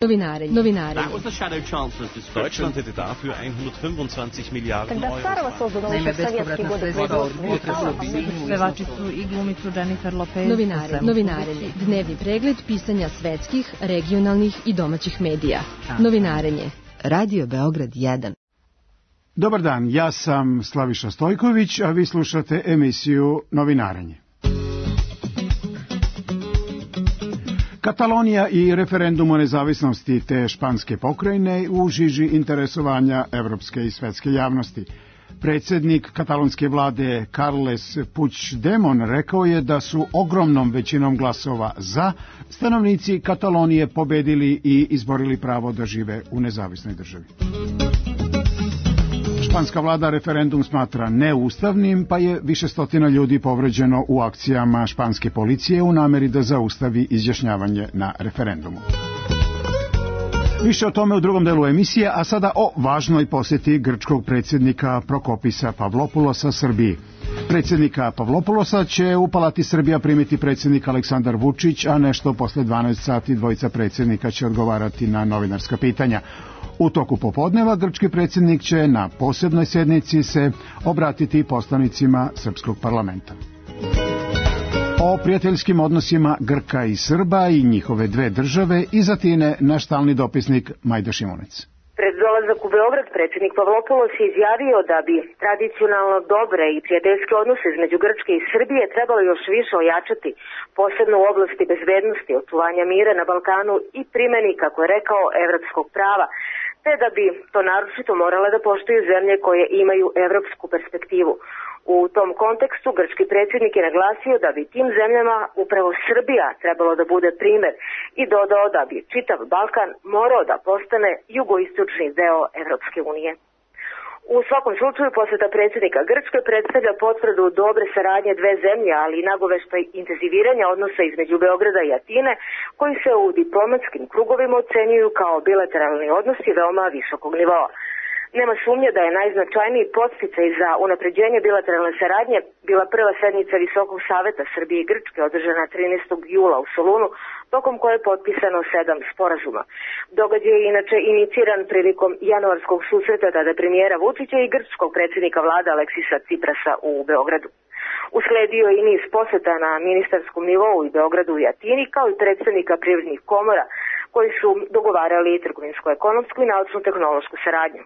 Novinari. Deutschland hätte dafür 125 Miliarden Euro. Naime, bespovratna sredstva od pevačicu i glumicu Jennifer Lopez. Novinari. Dnevni pregled pisanja svetskih, regionalnih i domaćih medija. Novinarenje. Radio Beograd 1. Dobar dan, ja sam Slaviša Stojković, a vi slušate emisiju Novinarenje. Katalonija i referendum o nezavisnosti te španske pokrajine u žiži interesovanja evropske i svetske javnosti. Predsjednik katalonske vlade Carles Puigdemont rekao je da su ogromnom većinom glasova za stanovnici Katalonije pobedili i izborili pravo da žive u nezavisnoj državi. Španska vlada referendum smatra neustavnim, pa je više stotina ljudi povređeno u akcijama španske policije u nameri da zaustavi izjašnjavanje na referendumu. Više o tome u drugom delu emisije, a sada o važnoj posjeti grčkog predsjednika Prokopisa Pavlopoulosa Srbiji. Predsjednika Pavlopoulosa će u Palati Srbija primiti predsjednik Aleksandar Vučić, a nešto posle 12 sati dvojica predsjednika će odgovarati na novinarska pitanja. U toku popodneva grčki predsjednik će na posebnoj sjednici se obratiti poslanicima srpskog parlamenta. O prijateljskim odnosima Grka i Srba i njihove dve države iz Atine naš stalni dopisnik Majda Šimunec. Pred dolazak u Beograd predsjednik Pavlopoulos je izjavio da bi tradicionalno dobre i prijateljske odnose između Grčke i Srbije trebalo još više ojačati, posebno u oblasti bezbednosti, očuvanja mira na Balkanu i primjeni, kako je rekao, evropskog prava, te da bi to naročito morale da poštuju zemlje koje imaju evropsku perspektivu. U tom kontekstu grčki predsjednik je naglasio da bi tim zemljama upravo Srbija trebalo da bude primjer i dodao da bi čitav Balkan morao da postane jugoistočni deo Evropske unije. U svakom slučaju posjeta predsjednika Grčke predstavlja potvrdu dobre saradnje dve zemlje, ali i nagoveštaj intenziviranja odnosa između Beograda i Atine, koji se u diplomatskim krugovima ocenjuju kao bilateralni odnosi veoma visokog nivoa. Nema sumnje da je najznačajniji podsticaj za unapređenje bilateralne saradnje bila prva sednica Visokog saveta Srbije i Grčke održana 13. jula u Solunu, tokom koje je potpisano 7 sporazuma. Događaj je inače iniciran prilikom januarskog susreta tada premijera Vučića i grčkog predsjednika vlade Aleksisa Ciprasa u Beogradu. Usledio je i niz posjeta na ministarskom nivou i Beogradu i Atini, kao i predstavnika privrednih komora koji su dogovarali trgovinsko-ekonomsku i naučno-tehnološku saradnju.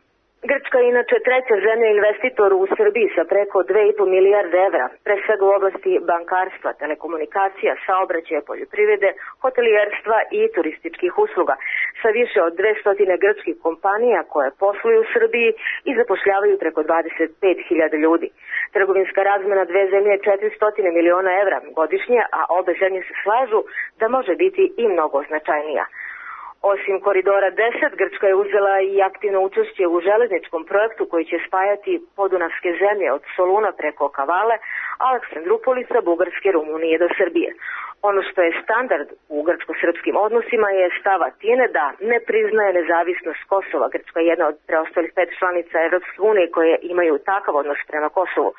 Grčka je inače treća zemlja investitor u Srbiji sa preko 2,5 milijarde evra, pre svega u oblasti bankarstva, telekomunikacija, saobraćaja, poljoprivrede, hotelijerstva i turističkih usluga, sa više od 200 grčkih kompanija koje posluju u Srbiji i zapošljavaju preko 25.000 ljudi. Trgovinska razmena dve zemlje je 400 miliona evra godišnje, a obe zemlje se slažu da može biti i mnogo značajnija. Osim koridora 10, Grčka je uzela i aktivno učešće u železničkom projektu koji će spajati podunavske zemlje od Soluna preko Kavale, Aleksandrupolisa, Bugarske, Rumunije do Srbije. Ono što je standard u grčko-srpskim odnosima je stav Atine da ne priznaje nezavisnost Kosova. Grčka je jedna od preostalih 5 članica Evropske unije koje imaju takav odnos prema Kosovu.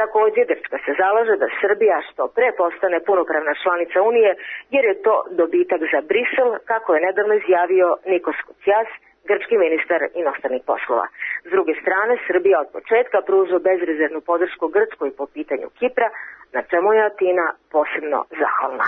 Također, Grčka se zalaže da Srbija što pre postane punopravna članica Unije, jer je to dobitak za Brisel, kako je nedavno izjavio Nikos Kotsias, grčki ministar inostranih poslova. S druge strane, Srbija od početka pruža bezrezervnu podršku Grčkoj po pitanju Kipra, na čemu je Atina posebno zahvalna.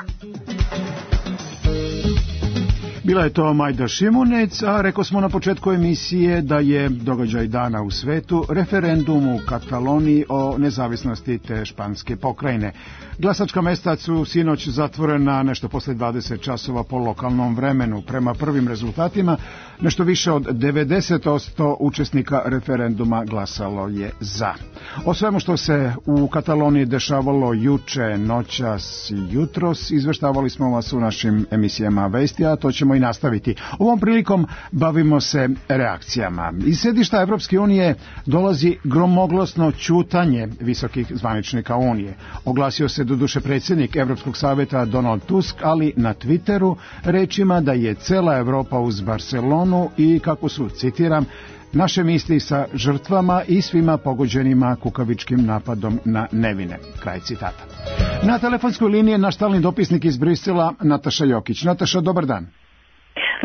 Bila je to Majda Šimunec, a rekao smo na početku emisije da je događaj dana u svetu referendum u Kataloniji o nezavisnosti te španske pokrajine. Glasačka mesta su sinoć zatvorena nešto posle 20 časova po lokalnom vremenu. Prema prvim rezultatima, nešto više od 90% učesnika referenduma glasalo je za. O svemu što se u Kataloniji dešavalo juče, noćas i jutros, izveštavali smo vas u našim emisijama vesti, a to ćemo i nastaviti. Ovom prilikom bavimo se reakcijama. Iz sedišta Evropske unije dolazi gromoglasno ćutanje visokih zvaničnika Unije. Oglasio se doduše predsjednik Evropskog savjeta Donald Tusk, ali na Twitteru rečima da je cela Evropa uz Barcelonu i, kako su, citiram, naše misli sa žrtvama i svima pogođenima kukavičkim napadom na nevine. Kraj citata. Na telefonskoj liniji je naš stalni dopisnik iz Brisela, Nataša Jokić. Nataša, dobar dan.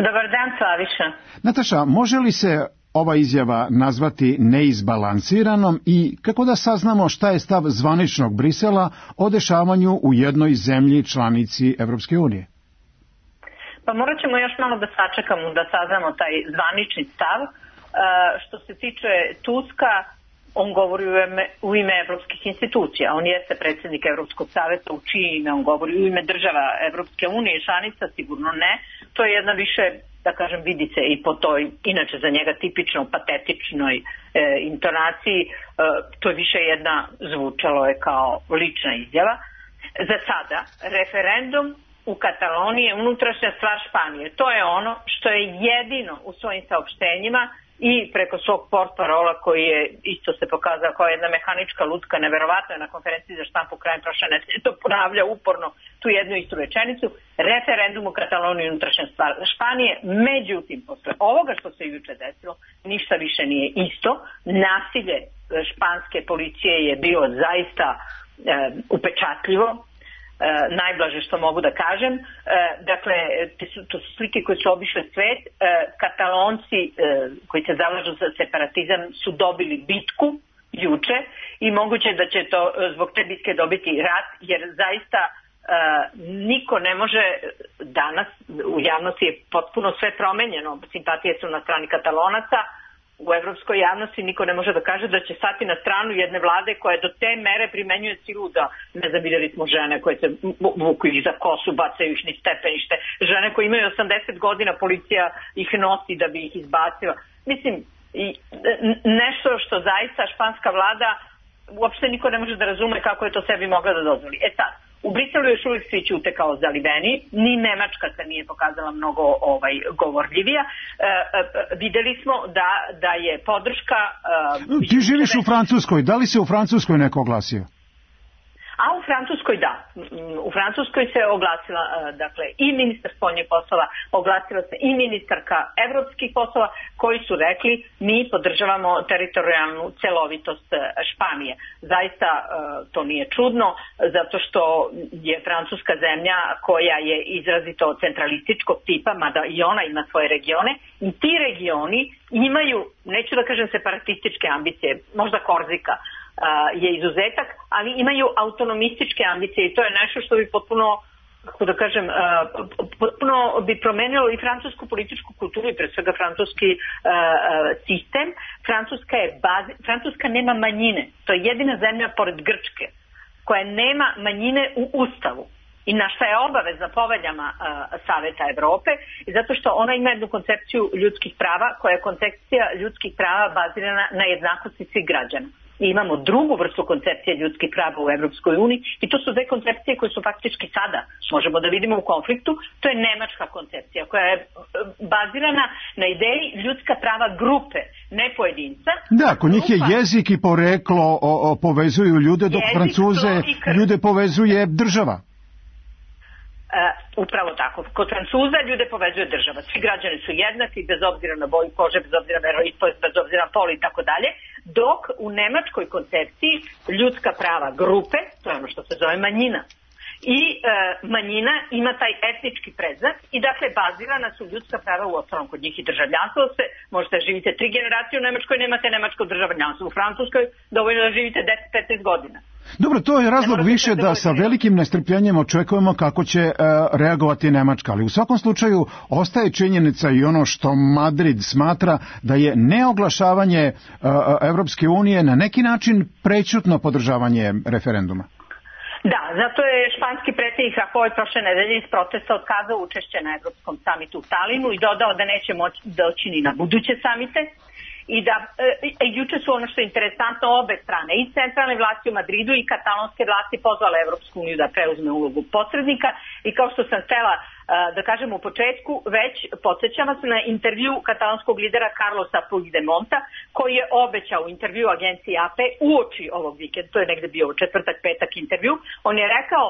Dobar dan, Slaviša. Nataša, može li se ova izjava nazvati neizbalansiranom i kako da saznamo šta je stav zvaničnog Brisela o dešavanju u jednoj zemlji članici Evropske unije? Pa morat ćemo još malo da sačekamo da saznamo taj zvanični stav. Što se tiče Tuska, on govori u ime evropskih institucija. On jeste predsjednik Evropskog savjeta, u čije ime on govori, u ime država Evropske unije, članica sigurno ne. To je jedna više, da kažem, vidi se i po toj, inače za njega tipično patetičnoj intonaciji, to je više jedna, zvučalo je kao lična izjava. Za sada, referendum u Kataloniji je unutrašnja stvar Španije. To je ono što je jedino u svojim saopštenjima i preko svog portparola koji je isto se pokazao kao jedna mehanička lutka, neverovatno je na konferenciji za štampu krajem prošle nedelje to ponavlja uporno tu jednu istu rečenicu, referendum u Kataloniji unutrašnja stvar Španije. Međutim, posle ovoga što se juče desilo, ništa više nije isto. Nasilje španske policije je bilo zaista upečatljivo, najblaže što mogu da kažem. Dakle, to su slike koje su obišle svet. Katalonci koji se zalažu za separatizam su dobili bitku juče i moguće da će to zbog te bitke dobiti rat, jer zaista niko ne može danas, u javnosti je potpuno sve promenjeno, simpatije su na strani Katalonaca, u evropskoj javnosti niko ne može da kaže da će stati na stranu jedne vlade koja do te mere primenjuje silu da, ne znam, vidjeli smo žene koje se vuku ih za kosu, bacaju ih niz stepenište, žene koje imaju 80 godina, policija ih nosi da bi ih izbacila. Mislim, nešto što zaista španska vlada uopšte niko ne može da razume kako je to sebi mogla da dozvoli. Sad, u Briselu još uvijek svi ćute kao zaliveni, ni Nemačka se nije pokazala mnogo govorljivija. Videli smo da je podrška... Ti živiš u Francuskoj, da li se u Francuskoj neko oglasio? A u Francuskoj da. U Francuskoj se oglasila dakle i ministar spoljnih poslova, oglasila se i ministarka evropskih poslova koji su rekli mi podržavamo teritorijalnu celovitost Španije. Zaista to nije čudno zato što je Francuska zemlja koja je izrazito centralističkog tipa, mada i ona ima svoje regione i ti regioni imaju, neću da kažem separatističke ambicije, možda Korzika je izuzetak, ali imaju autonomističke ambicije i to je nešto što bi potpuno, kako da kažem, potpuno bi promenilo i francusku političku kulturu i pre svega francuski sistem. Francuska nema manjine. To je jedina zemlja pored Grčke koja nema manjine u Ustavu i na šta je obaveza poveljama Saveta Evrope, i zato što ona ima jednu koncepciju ljudskih prava koja je koncepcija ljudskih prava bazirana na jednakosti svih građana. I imamo drugu vrstu koncepcije ljudskih prava u Evropskoj uniji i to su dve koncepcije koje su faktički sada, možemo da vidimo u konfliktu, to je nemačka koncepcija koja je bazirana na ideji ljudska prava grupe, ne pojedinca. Da, kod njih je jezik i poreklo povezuju ljude, dok Francuze ljude povezuje država. Upravo tako. Kod Francuza ljude povezuje država. Svi građani su jednaki, bez obzira na boju kože, bez obzira na veroispovest, bez obzira na pol i tako dalje. Dok u nemačkoj koncepciji ljudska prava grupe, to je ono što se zove manjina. I manjina ima taj etnički predznak i dakle bazirana su ljudska prava u osnovom kod njih i državljanstvo se. Možete da živite 3 generacije u Nemačkoj, nemate nemačko državljanstvo. U Francuskoj dovoljno da živite 10-15 godina. Dobro, to je razlog više da sa velikim nestrpljenjem očekujemo kako će reagovati Nemačka, ali u svakom slučaju ostaje činjenica i ono što Madrid smatra da je neoglašavanje Evropske unije na neki način prećutno podržavanje referenduma. Da, zato je španski predsjednik Rajoy prošle nedelje iz protesta otkazao učešće na Evropskom samitu u Talinu i dodao da neće moći doći ni na buduće samite. I da juče su, ono što je interesantno, obe strane, i centralne vlasti u Madridu i katalonske vlasti pozvale Evropsku uniju da preuzme ulogu posrednika i kao što sam htela da kažem u početku, već podsjećam vas na intervju katalonskog lidera Carlosa Puigdemonta koji je obećao u intervju agenciji AP uoči ovog vikenda, to je negde bio četvrtak, petak intervju, on je rekao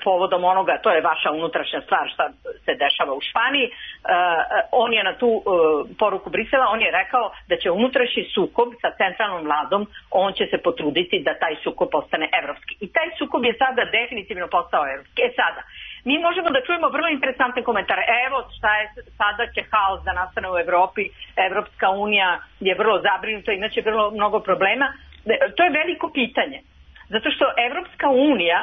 povodom onoga, to je vaša unutrašnja stvar šta se dešava u Španiji, on je na tu poruku Brisela, on je rekao da će unutrašnji sukob sa centralnom vladom, on će se potruditi da taj sukob postane evropski. I taj sukob je sada definitivno postao evropski. Sada, mi možemo da čujemo vrlo interesantne komentare. Evo šta je, sada će haos da nastane u Evropi, Evropska unija je vrlo zabrinuta, imaće vrlo mnogo problema. To je veliko pitanje. Zato što Evropska unija,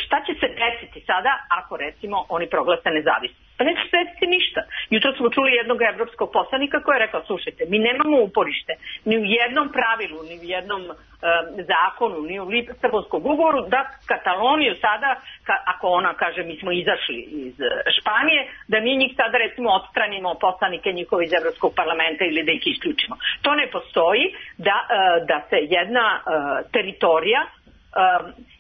šta će se desiti sada ako recimo oni proglase nezavisnost? Pa neće se desiti ništa. Jutro smo čuli jednog evropskog poslanika koji je rekao, slušajte, mi nemamo uporište ni u jednom pravilu, ni u jednom zakonu, ni u Lisabonskom ugovoru da Kataloniju sada, ako ona kaže mi smo izašli iz Španije, da mi njih sada recimo odstranimo poslanike njihove iz Evropskog parlamenta ili da ih isključimo. To ne postoji da se jedna teritorija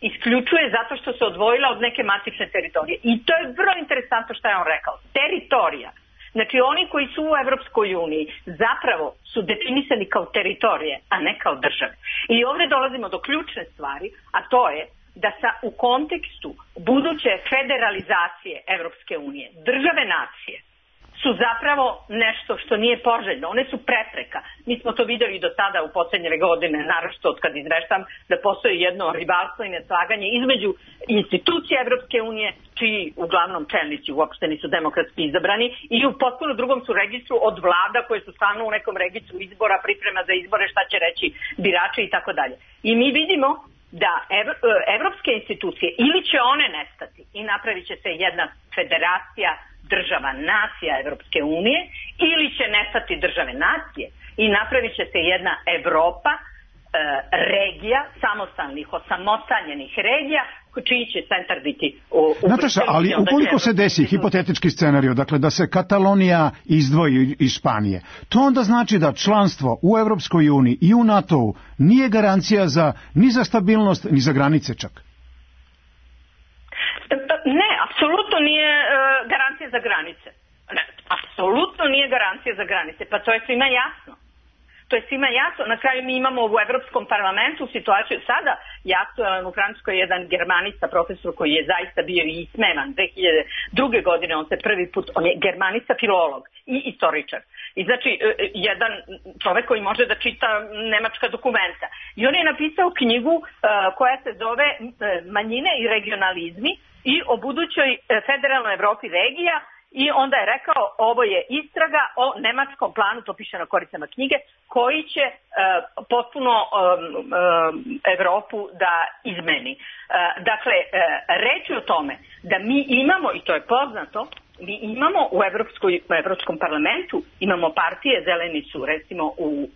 isključuje zato što se odvojila od neke matične teritorije. I to je vrlo interesantno što je on rekao. Teritorija. Znači oni koji su u Evropskoj uniji zapravo su definisani kao teritorije, a ne kao države. I ovdje dolazimo do ključne stvari, a to je da u kontekstu buduće federalizacije Evropske unije, države nacije su zapravo nešto što nije poželjno. One su prepreka. Mi smo to vidjeli do sada u posljednje godine, naročito od kad izveštam, da postoji jedno rivalstvo i neslaganje između institucija Evropske unije, čiji uglavnom čelnici uopšte nisu demokratski izabrani, i u potpuno drugom su registru od vlada koje su stalno u nekom registru izbora, priprema za izbore, šta će reći birači i tako dalje. I mi vidimo da evropske institucije ili će one nestati i napravit će se jedna federacija država nacija Evropske unije, ili će nestati države nacije i napravit će se jedna Evropa, regija, samostalnih, osamotaljenih regija, čiji će centar biti u Nataša, ali ukoliko se desi hipotetički scenarij, dakle da se Katalonija izdvoji iz Španije, to onda znači da članstvo u Evropskoj uniji i u NATO-u nije garancija ni za stabilnost, ni za granice čak. Ne, apsolutno nije garancija za granice. Ne, apsolutno nije garancija za granice. Pa to je svima jasno. To je svima jasno. Na kraju mi imamo u Evropskom parlamentu situaciju sada. Aktualan u Francuskoj jedan germanista, profesor koji je zaista bio i ismevan 2002. godine. On se prvi put, on je germanista, filolog i istoričar. I znači jedan čovek koji može da čita nemačka dokumenta. I on je napisao knjigu koja se zove Manjine i regionalizmi i o budućoj federalnoj Evropi regija, i onda je rekao ovo je istraga o nemačkom planu, to piše na koricama knjige, koji će potpuno Evropu da izmeni. Dakle, reći o tome da mi imamo, i to je poznato, mi imamo u Evropskom parlamentu, imamo partije, zeleni su recimo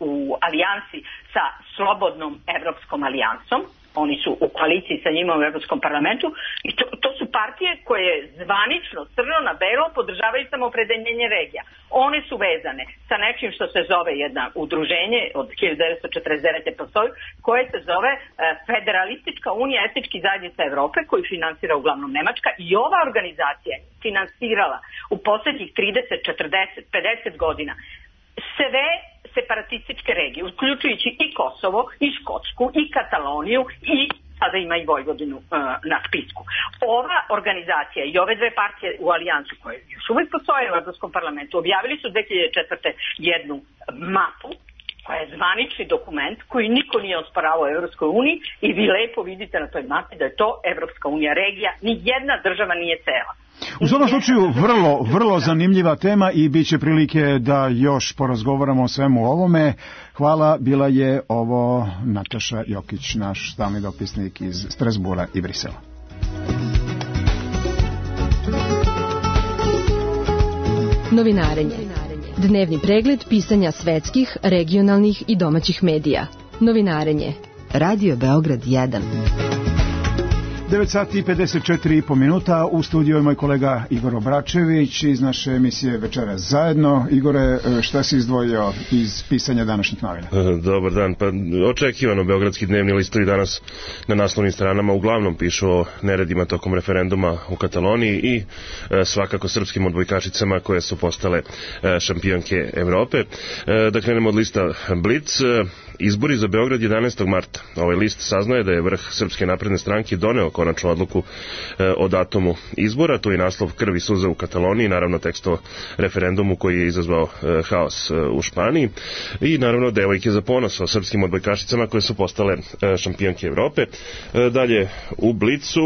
u alijansi sa Slobodnom Evropskom alijansom, oni su u koaliciji sa njima u Evropskom parlamentu, i to su partije koje zvanično, crno na belo, podržavaju samoopredeljenje regija. One su vezane sa nečim što se zove jedna udruženje od 1949. postoji, koje se zove Federalistička unija etničkih zajednica Evrope, koju finansira uglavnom Nemačka, i ova organizacija je finansirala u posljednjih 30, 40, 50 godina sve separatističke regije, uključujući i Kosovo, i Škotsku, i Kataloniju, i sada ima i Vojvodinu na spisku. Ova organizacija i ove dve partije u alijansu, koje još uvijek postoje u Evropskom parlamentu, objavili su 2004. jednu mapu, koja je zvanični dokument koji niko nije osporavao u Evropskoj uniji, i vi lepo vidite na toj mapi da je to Evropska unija regija, ni jedna država nije cela. U svakom slučaju vrlo zanimljiva tema i bit će prilike da još porazgovaramo o svemu ovome. Hvala, bila je ovo Nataša Jokić, naš stalni dopisnik iz Strasbura i Brisela. Novinarenje. Dnevni pregled pisanja svetskih, regionalnih i domaćih medija. Novinarenje. Radio Beograd 1. 9 sati i 54,5 minuta. U studiju je moj kolega Igor Obračević iz naše emisije Večeras zajedno. Igore, šta si izdvojio iz pisanja današnjih novina? Dobar dan. Pa očekivano, beogradski dnevni listovi danas na naslovnim stranama uglavnom pišu o neredima tokom referenduma u Kataloniji i svakako srpskim odbojkašicama koje su postale šampionke Evrope. Da krenemo od lista Blitz. Izbori za Beograd 11. marta. Ovaj list saznaje da je vrh Srpske napredne stranke doneo konačnu odluku o datumu izbora. To je naslov Krv i suza u Kataloniji, naravno tekst o referendumu koji je izazvao haos u Španiji i naravno devojke za ponos o srpskim odbojkašicama koje su postale šampionke Evrope. Dalje u Blicu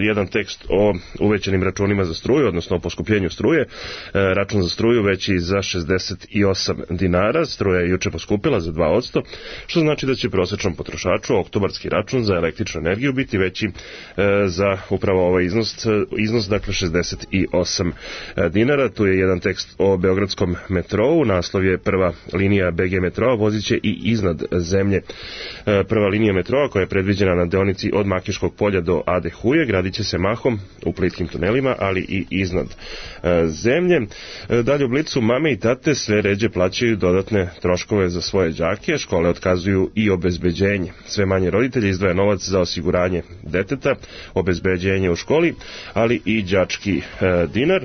jedan tekst o uvećanim računima za struju, odnosno o poskupljenju struje. Račun za struju veći za 68 dinara, struja je juče poskupila za 2%, što znači da će prosječnom potrošaču oktobarski račun za električnu energiju biti veći za upravo ovaj iznos dakle 68 dinara. Tu je jedan tekst o beogradskom metrou, naslov je prva linija BG metroa voziće i iznad zemlje. Prva linija metroa koja je predviđena na deonici od Makiškog polja do Ade Huje gradit će se mahom u plitkim tunelima, ali i iznad zemlje. Dalje u Blicu mame i tate sve ređe plaćaju dodatne troškove za svoje đake, škole otkazuju i obezbeđenje. Sve manje roditelja izdvaja novac za osiguranje deteta, obezbeđenje u školi, ali i đački dinar.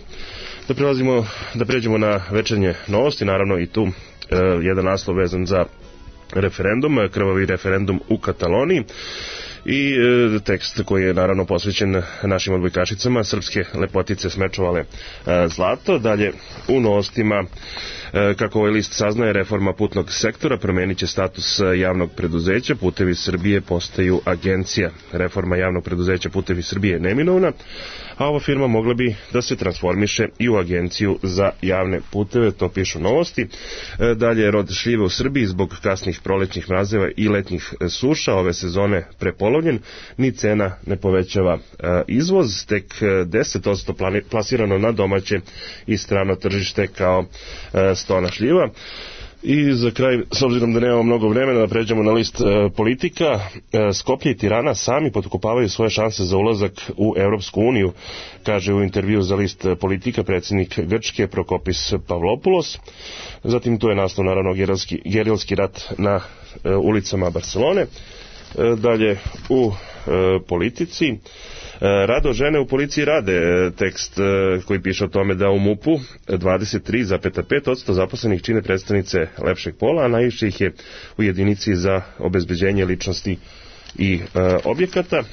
Da pređemo na večernje novosti, naravno i tu jedan naslov vezan za referendum, krvavi referendum u Kataloniji i tekst koji je naravno posvećen našim odbojkašicama, srpske lepotice smečovale zlato. Dalje u novostima, kako ovaj list saznaje, reforma putnog sektora promenit će status javnog preduzeća, Putevi Srbije postaju agencija. Reforma javnog preduzeća Putevi Srbije je neminovna, a ova firma mogla bi da se transformiše i u agenciju za javne puteve, to pišu novosti. Dalje, rod šljive u Srbiji zbog kasnih prolećnih mrazeva i letnjih suša ove sezone prepolovljen, ni cena ne povećava izvoz, tek 10% plasirano na domaće i strano tržište kao stona šljiva. I za kraj, s obzirom da nemamo mnogo vremena, da pređemo na list politika, Skoplje i Tirana sami potkopavaju svoje šanse za ulazak u Evropsku uniju, kaže u intervju za list politika predsjednik Grčke Prokopis Pavlopoulos. Zatim tu je naslov naravno gerilski rat na ulicama Barcelone. Dalje u politici, rado žene u policiji rade, tekst koji piše o tome da u MUP-u 23,5% zaposlenih čine predstavnice lepšeg pola, a najviše ih je u jedinici za obezbeđenje ličnosti i objekata.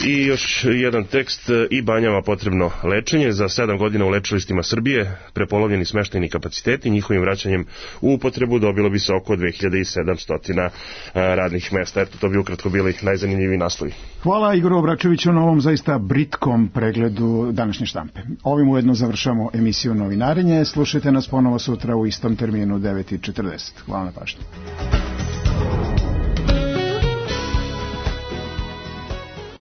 I još jedan tekst, i banjama potrebno lečenje. Za 7 godina u lečilištima Srbije prepolovljeni smeštajni kapaciteti, njihovim vraćanjem u upotrebu dobilo bi se oko 2700 radnih mesta. Eto, to bi ukratko bili najzanimljiviji naslovi. Hvala Igoru Obračeviću na ovom zaista britkom pregledu današnje štampe. Ovim ujedno završamo emisiju Novinarenje. Slušajte nas ponovo sutra u istom terminu 9:40. Hvala na pažnji.